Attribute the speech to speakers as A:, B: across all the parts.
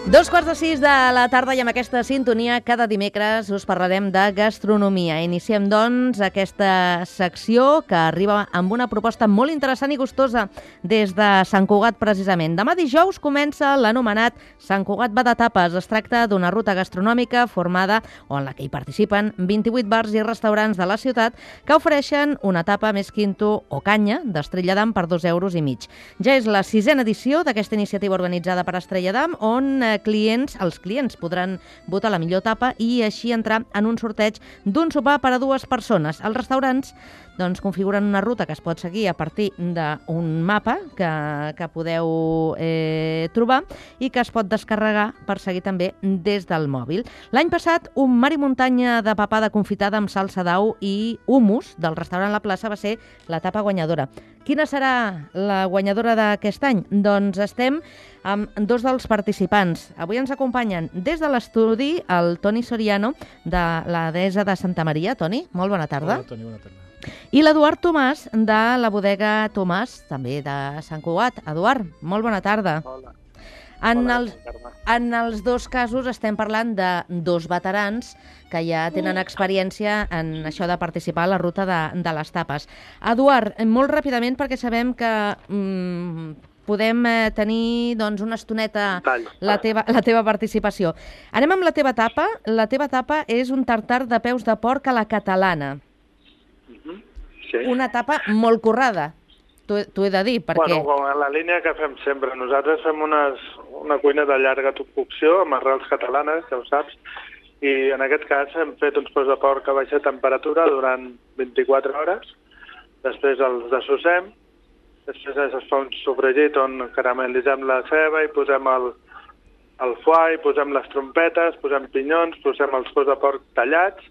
A: 2:45 de la tarda i amb aquesta sintonia cada dimecres us parlarem de gastronomia. Iniciem, doncs, aquesta secció que arriba amb una proposta molt interessant i gustosa des de Sant Cugat, precisament. Demà dijous comença l'anomenat Sant Cugat va de tapes. Es tracta d'una ruta gastronòmica formada o en la que hi participen 28 bars i restaurants de la ciutat que ofereixen una tapa més quinto o canya d'Estrella d'Am per 2,5 euros. Ja és la 6a edició d'aquesta iniciativa organitzada per Estrella d'Am, on els clients podran votar la millor tapa i així entrar en un sorteig d'un sopar per a 2 persones. Els restaurants configuren una ruta que es pot seguir a partir d'un mapa que podeu trobar i que es pot descarregar per seguir també des del mòbil. L'any passat, un mar i muntanya de papada confitada amb salsa d'au i hummus del restaurant La Plaça va ser la tapa guanyadora. Quina serà la guanyadora d'aquest any? Doncs estem amb dos dels participants. Avui ens acompanyen des de l'estudi el Toni Soriano, de la Deessa de Santa Maria. Toni, molt bona tarda.
B: Hola, Toni, bona tarda.
A: I l'Eduard Tomàs, de la bodega Tomàs, també de Sant Cugat. Eduard, molt bona tarda.
C: Hola.
A: En els dos casos estem parlant de dos veterans que ja tenen experiència en això de participar a la ruta de les tapes. Eduard, molt ràpidament, perquè sabem que podem tenir una estoneta la teva participació. Anem amb la teva tapa. La teva tapa és un tartar de peus de porc a la catalana.
C: Sí.
A: Una tapa molt currada, t'ho he de dir, perquè...
C: Bueno, en la línia que fem sempre. Nosaltres fem una cuina de llarga cocció amb arrels catalanes, ja ho saps, i en aquest cas hem fet uns peus de porc a baixa temperatura durant 24 hores, després els dessossem, després es fa un sofregit on caramel·litzem la ceba i posem el foie, posem les trompetes, posem pinyons, posem els peus de porc tallats,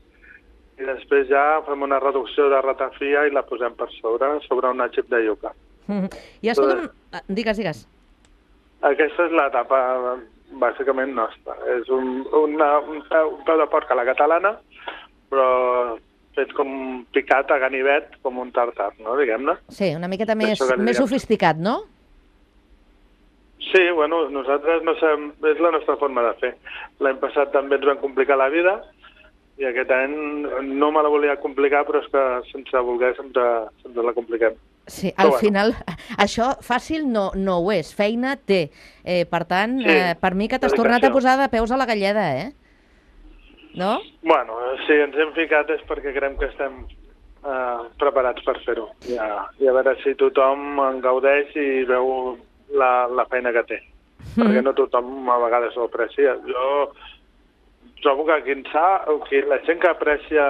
C: i després ja fem una reducció de ratafia i la posem per sobre una xip de iuca.
A: I escolta'm, digues.
C: Aquesta és la tapa bàsicament nostra. És un peu de porc a la catalana, però fet com picat a ganivet, com un tartar, no, diguem-ne.
A: Sí, una miqueta més sofisticat, no?
C: Sí, bueno, nosaltres no sabem, és la nostra forma de fer. L'any passat també ens vam complicar la vida, i aquest any no me la volia complicar, però és que sense voler sempre la compliquem.
A: Sí, al final, això fàcil no ho és, feina té. Per tant, per mi que t'has tornat a posar de peus a la galleda, no? Bueno,
C: si ens hem ficat és perquè creiem que estem preparats per fer-ho. I a veure si tothom en gaudeix i veu la feina que té. Perquè no tothom a vegades ho aprecia. Jo trobo que la gent que aprecia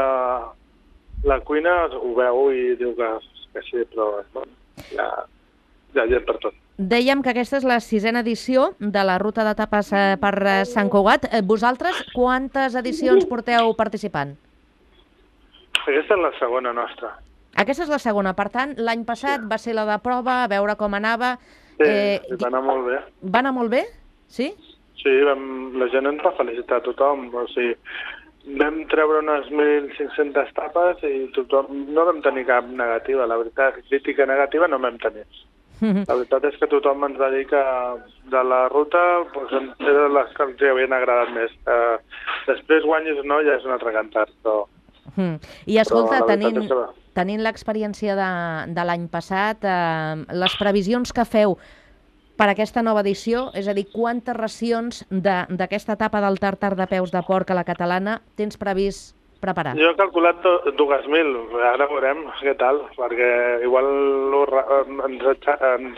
C: la cuina ho veu i diu que sí, però hi ha gent per tot.
A: Dèiem que aquesta és la 6a edició de la ruta de tapes per Sant Cugat. Vosaltres quantes edicions porteu participant?
C: Aquesta és la segona nostra.
A: Aquesta és la segona, per tant, l'any passat va ser la de prova, a veure com anava.
C: Sí, va anar molt bé.
A: Va anar molt bé? Sí?
C: Sí, la gent ens va felicitar a tothom. O sigui, vam treure unes 1.500 tapes i tothom no vam tenir cap negativa. La veritat, crítica negativa no vam tenir. La veritat és que tothom ens va dir que de la ruta eren les que els havien agradat més. Després guanyis o no ja és un altre cantat.
A: I escolta, tenint l'experiència de l'any passat, les previsions que feu per aquesta nova edició, és a dir, quantes racions d'aquesta etapa del tartar de peus de porc a la catalana tens previst preparar?
C: Jo he calculat 2.000, ara veurem què tal, perquè igual ens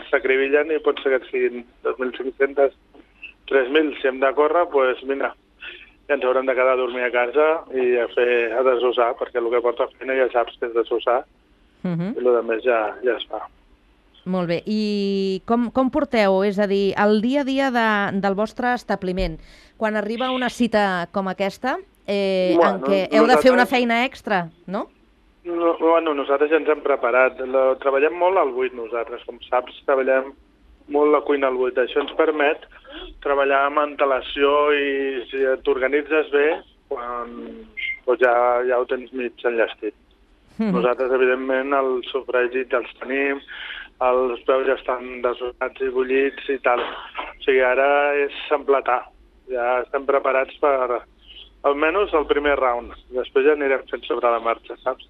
C: sacribillen i pot ser que siguin 2.500, 3.000. Si hem de córrer, doncs mira, ja ens haurem de quedar a dormir a casa i a desossar, perquè el que porta feina ja saps que és desossar, i el més ja es fa.
A: Molt bé. I com porteu, és a dir, el dia a dia del vostre establiment? Quan arriba una cita com aquesta, en què heu de fer una feina extra, no?
C: Bueno, nosaltres ja ens hem preparat. Treballem molt al buit, nosaltres. Com saps, treballem molt la cuina al buit. Això ens permet treballar amb antelació i si t'organitzes bé, doncs ja ho tens mig enllestit. Nosaltres, evidentment, els sofregits els tenim, els peus ja estan desonats i bullits i tal. O sigui, ara és empletar. Ja estem preparats per almenys el primer round. Després ja anirem fent sobre la marxa, saps?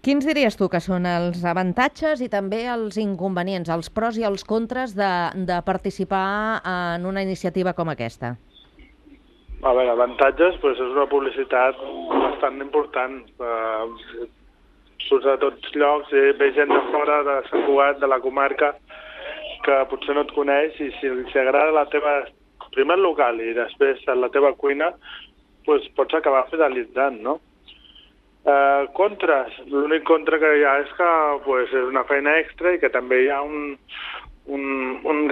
A: Quins diries tu que són els avantatges i també els inconvenients, els pros i els contres de participar en una iniciativa com aquesta?
C: A veure, avantatges, doncs és una publicitat bastant important. Surts a tots llocs i ve gent de fora, de Sant Cugat, de la comarca, que potser no et coneix, i si els agrada la teva, primer el local i després la teva cuina, doncs pots acabar fidelitzant, no? Contres. L'únic contra que hi ha és que és una feina extra i que també hi ha un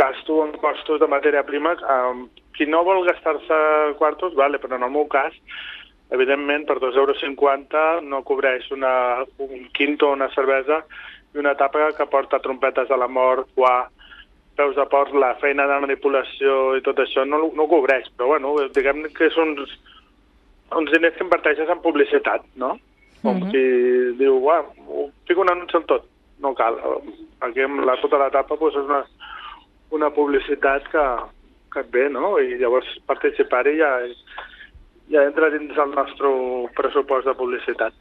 C: gasto en costos de matèria prima. Qui no vol gastar-se quartos, vale, però en el meu cas, evidentment, per 2,50 € no cobreix un quinto o una cervesa i una tapa que porta trompetes de la mort, foie, peus de porc, la feina de manipulació i tot això no ho cobreix. Però, bueno, diguem que és uns diners que inverteixes en publicitat, no? Com qui diu, fico un anunci en tot. No cal. Aquí amb tota la tapa és una publicitat que et ve, no? I llavors participar-hi ja entra dins el nostre pressupost de publicitat.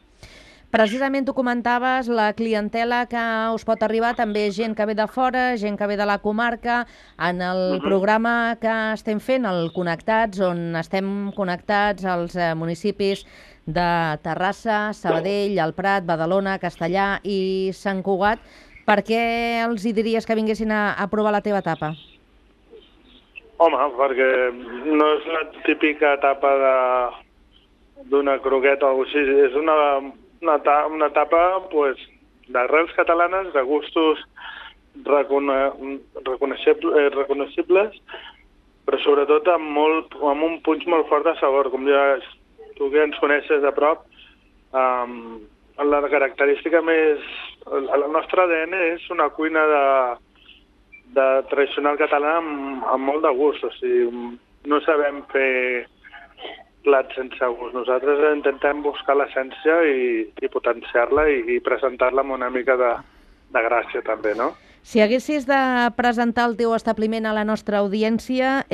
A: Precisament tu comentaves la clientela que us pot arribar, també gent que ve de fora, gent que ve de la comarca. En el programa que estem fent, el Connectats, on estem connectats als municipis de Terrassa, Sabadell, el Prat, Badalona, Castellà i Sant Cugat, per què els hi diries que vinguessin a provar la tapa tapa?
C: Home, perquè no és la típica tapa d'una croqueta o així, és una tapa d'arrels catalanes, de gustos reconeixibles, però sobretot amb un punx molt fort de sabor. Com ja tu que ens coneixes de prop, la característica més... El nostre ADN és una cuina de tradicional català amb molt de gust. O sigui, no sabem fer plats sense gust. Nosaltres intentem buscar l'essència i potenciar-la i presentar-la amb una mica de gràcia també, no?
A: Si haguessis de presentar el teu establiment a la nostra audiència,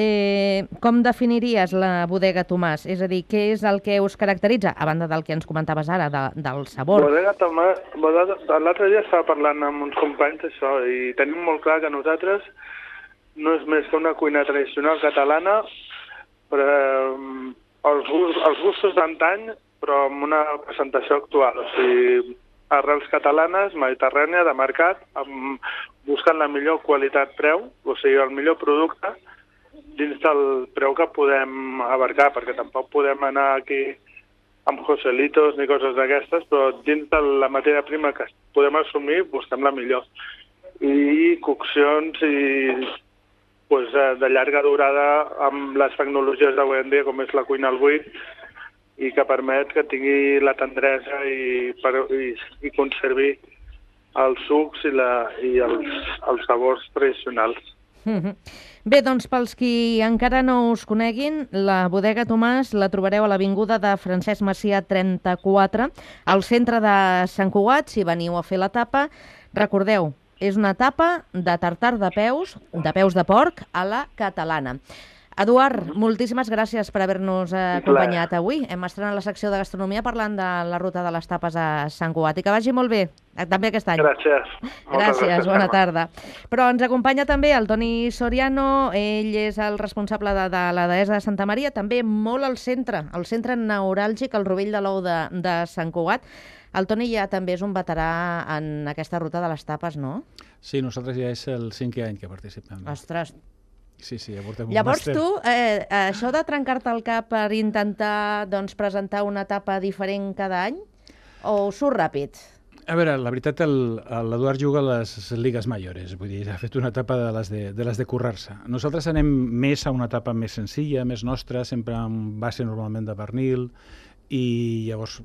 A: com definiries la Bodega Tomàs? És a dir, què és el que us caracteritza, a banda del que ens comentaves ara, del sabor?
C: Bodega Tomàs, l'altre dia estava parlant amb uns companys d'això i tenim molt clar que nosaltres no és més que una cuina tradicional catalana, però els gustos d'antany, però amb una presentació actual. O sigui, arrels catalanes, mediterrània, de mercat, buscant la millor qualitat-preu, o sigui, el millor producte dins del preu que podem abarcar, perquè tampoc podem anar aquí amb Joselitos ni coses d'aquestes, però dins de la matèria prima que podem assumir, busquem la millor. I coccions de llarga durada amb les tecnologies d'avui en dia, com és la cuina al buit, i que permet que tingui la tendresa i conservi els sucs i els sabors tradicionals.
A: Bé, doncs pels qui encara no us coneguin, la Bodega Tomàs la trobareu a l'avinguda de Francesc Macià 34, al centre de Sant Cugat. Si veniu a fer la tapa, recordeu, és una tapa de tartar de peus de porc a la catalana. Eduard, moltíssimes gràcies per haver-nos acompanyat avui. Hem estrenat la secció de gastronomia parlant de la ruta de les tapes a Sant Cugat. I que vagi molt bé, també aquest any.
C: Gràcies.
A: Gràcies, bona tarda. Però ens acompanya també el Toni Soriano, ell és el responsable de la Deessa de Santa Maria, també molt al centre neuràlgic, al Rovell de l'Ou de Sant Cugat. El Toni ja també és un veterà en aquesta ruta de les tapes, no?
B: Sí, nosaltres ja és el 5è any que participem.
A: Ostres.
B: Sí, ja portem un
A: Llavors
B: màster.
A: tu, això de trencar-te el cap per intentar presentar una tapa diferent cada any, o surt ràpid?
B: A veure, la veritat, l'Eduard juga a les ligues mayores, vull dir, ha fet una etapa de les de currar-se. Nosaltres anem més a una etapa més senzilla, més nostra, sempre amb base normalment de pernil, i llavors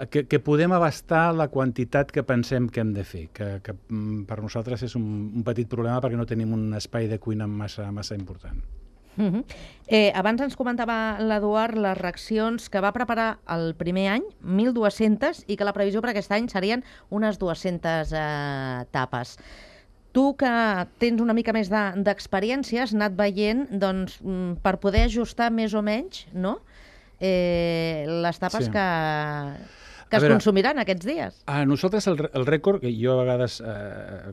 B: que podem abastar la quantitat que pensem que hem de fer, que per nosaltres és un petit problema perquè no tenim un espai de cuina massa important.
A: Abans ens comentava l'Eduard les racions que va preparar el primer any, 1.200, i que la previsió per aquest any serien unes 200 tapes. Tu que tens una mica més d'experiència, has anat veient, doncs, per poder ajustar més o menys, no?, les tapes
B: Sí.
A: que es consumiran aquests dies.
B: A nosaltres el rècord, que jo a vegades,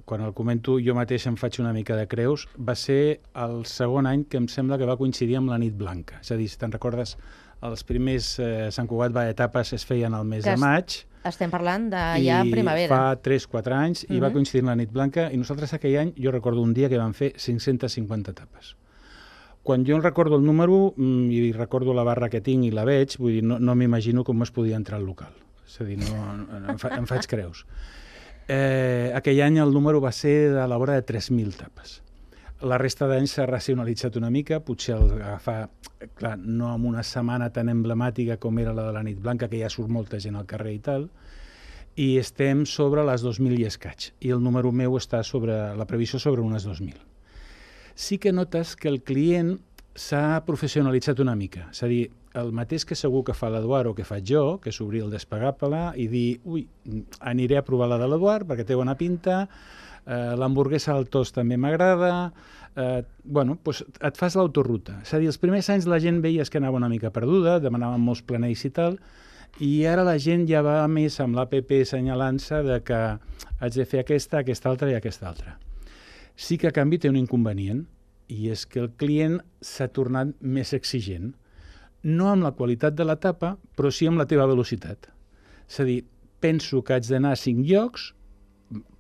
B: quan el comento, jo mateix em faig una mica de creus, va ser el segon any que em sembla que va coincidir amb la nit blanca. És a dir, si te'n recordes, els primers Sant Cugat Etapes es feien al mes de maig.
A: Estem parlant de ja primavera.
B: Fa 3-4 anys, i va coincidir amb la nit blanca, i nosaltres aquell any, jo recordo un dia que vam fer 550 etapes. Quan jo recordo el número i recordo la barra que tinc i la veig, vull dir, no m'imagino com es podia entrar al local. És a dir, em faig creus. Aquell any el número va ser de la vora de 3.000 tapes. La resta d'anys s'ha racionalitzat una mica, potser agafar, clar, no en una setmana tan emblemàtica com era la de la nit blanca, que ja surt molta gent al carrer i tal, i estem sobre les 2.000 i escaig, i el número meu està sobre la previsió sobre unes 2.000. Sí que notes que el client s'ha professionalitzat una mica. És a dir, el mateix que segur que fa l'Eduard o que faig jo, que és obrir el Despegable i dir, aniré a provar la de l'Eduard perquè té bona pinta, l'hamburguesa al tost també m'agrada, doncs et fas l'autoruta. És a dir, els primers anys la gent veies que anava una mica perduda, demanaven molts planells i tal, i ara la gent ja va més amb l'APP assenyalant-se de que haig de fer aquesta altra i aquesta altra. Sí que a canvi té un inconvenient, i és que el client s'ha tornat més exigent. No amb la qualitat de l'etapa, però sí amb la teva velocitat. És a dir, penso que haig d'anar a 5 llocs,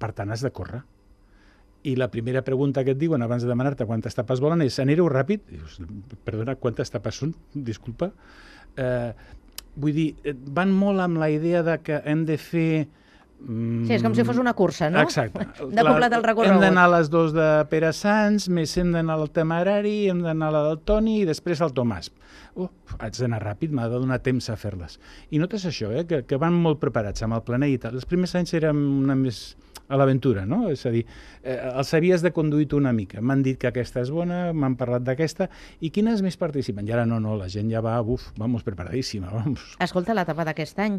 B: per tant has de córrer. I la primera pregunta que et diuen abans de demanar-te quantes tapes volen és: anireu ràpid? Dius, perdona, quantes tapes són? Disculpa. Vull dir, van molt amb la idea de que hem de fer...
A: Sí, és com si fos una cursa, no?
B: Exacte.
A: De completar el recorregut.
B: Hem d'anar a les 2 de Pere Sans, més hem d'anar al Temerari, hem d'anar a la del Toni i després al Tomàs. Haig d'anar ràpid, m'ha de donar temps a fer-les. I notes això, que van molt preparats amb el planell i tal. Els primers anys érem una més a l'aventura, no? És a dir, els havies de conduir tu una mica. M'han dit que aquesta és bona, m'han parlat d'aquesta, i quines més participen? I ara no, la gent ja va, vamos, preparadíssima, vamos.
A: Escolta, l'etapa d'aquest any.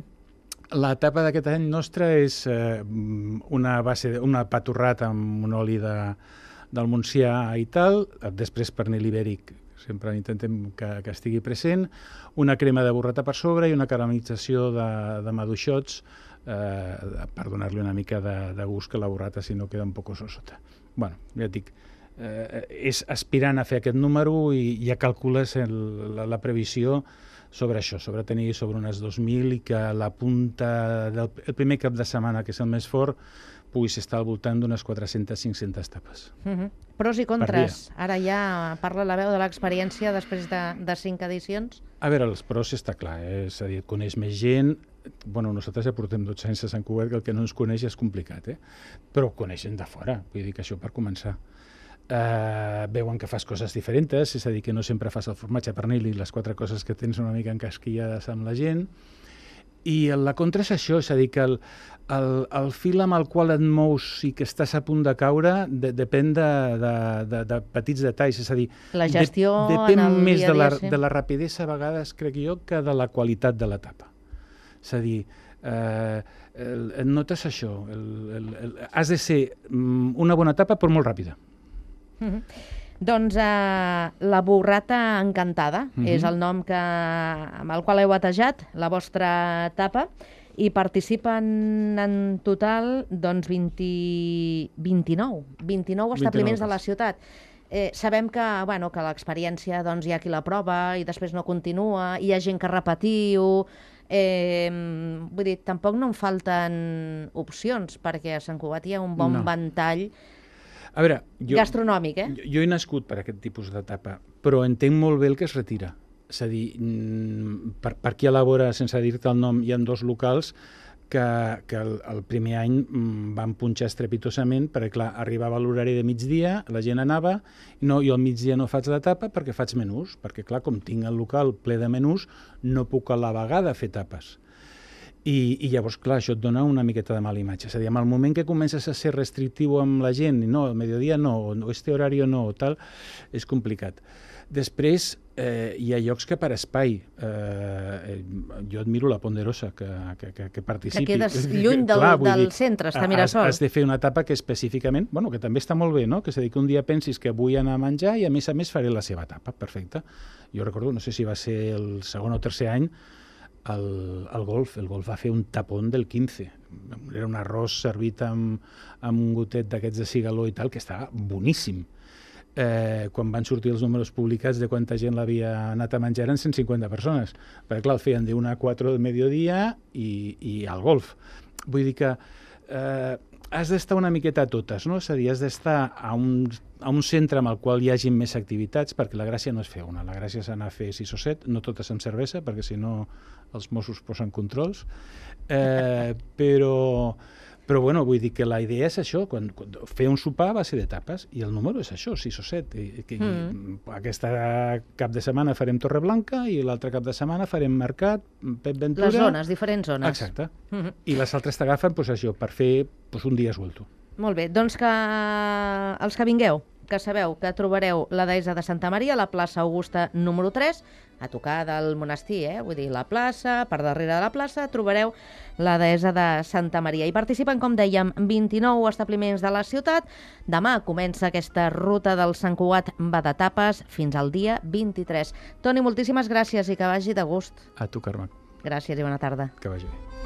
B: L'etapa d'aquest any nostra és una pa torrat amb un oli del Montsià i tal, després pernil ibèric, sempre intentem que estigui present, una crema de burrata per sobre i una caramelització de maduixots per donar-li una mica de gust, que la burrata si no queda un poc sota. Bueno, ja et dic, és aspirant a fer aquest número i ja calcules la previsió sobre això, sobre tenir sobre unes 2.000 i que la punta el primer cap de setmana, que és el més fort, puguis estar al voltant d'unes 400-500 tapes.
A: Pros i contres. Ara ja parla la veu de l'experiència després de 5 edicions.
B: A veure, els pros està clar, és a dir, coneix més gent. Bueno, nosaltres ja portem 12 anys a Sant Cugat, que el que no ens coneix és complicat, però coneix gent de fora, vull dir que això per començar. Veuen que fas coses diferents, és a dir, que no sempre fas el formatge pernil i les 4 coses que tens una mica encasquillades amb la gent. I la contra és això, és a dir, que el fil amb el qual et mous i que estàs a punt de caure depèn de petits detalls, és a dir,
A: la gestió
B: depèn més de la rapidesa a vegades, crec jo, que de la qualitat de l'etapa. És a dir, notes això, has de ser una bona etapa però molt ràpida.
A: Doncs la burrata encantada és el nom amb el qual heu batejat la vostra etapa, i participen en total 29 establiments de la ciutat. Sabem que l'experiència hi ha qui la prova i després no continua, hi ha gent que repetiu. Vull dir, tampoc no en falten opcions, perquè a Sant Cugat hi ha un bon ventall gastronòmic.
B: Jo he nascut per aquest tipus d'etapa, però entenc molt bé el que es retira. És a dir, per aquí a la vora, sense dir-te el nom, hi ha 2 locals que el primer any van punxar estrepitosament, perquè clar, arribava l'horari de migdia, la gent anava, jo al migdia no faig l'etapa perquè faig menús, perquè clar, com tinc el local ple de menús, no puc a la vegada fer tapes. I llavors, clar, això et dona una miqueta de mala imatge. És a dir, en el moment que comences a ser restrictiu amb la gent, no, al mediodía no, o este horario no, o tal, és complicat. Després, hi ha llocs que per espai. Jo admiro la Ponderosa, que participi.
A: Que quedes lluny del centre, està a Mirasol.
B: Has de fer una etapa que específicament, bueno, que també està molt bé, no? Que és a dir, que un dia pensis que vull anar a menjar i a més faré la seva etapa, perfecte. Jo recordo, no sé si va ser el segon o tercer any, el golf va fer un tapón del 15. Era un arròs servit amb un gotet d'aquests de cigaló i tal, que estava boníssim. Quan van sortir els números publicats de quanta gent l'havia anat a menjar eren 150 persones, perquè clar, el feien de 1 a 4 del mediodía i al golf. Vull dir que has d'estar una miqueta a totes, no? És a dir, has d'estar a un centre amb el qual hi hagi més activitats, perquè la gràcia no és fer una, la gràcia és anar a fer 6 o 7, no totes amb cervesa, perquè si no els Mossos posen controls, però bueno, vull dir que la idea és això, quan fer un sopar va ser d'etapes, i el número és això, 6 o 7. Aquesta cap de setmana farem Torreblanca i l'altre cap de setmana farem Mercat, Pep Ventura...
A: Les zones, diferents zones.
B: Exacte. I les altres t'agafen això, per fer un dia suelto.
A: Molt bé, doncs que els que vingueu, que sabeu que trobareu la deessa de Santa Maria a la plaça Augusta número 3, a tocar del monestir, vull dir, la plaça, per darrere de la plaça, trobareu la deessa de Santa Maria. I participen, com dèiem, 29 establiments de la ciutat. Demà comença aquesta ruta del Sant Cugat va d'etapes fins al dia 23. Toni, moltíssimes gràcies i que vagi de gust.
B: A tu, Carme.
A: Gràcies i bona tarda.
B: Que vagi bé.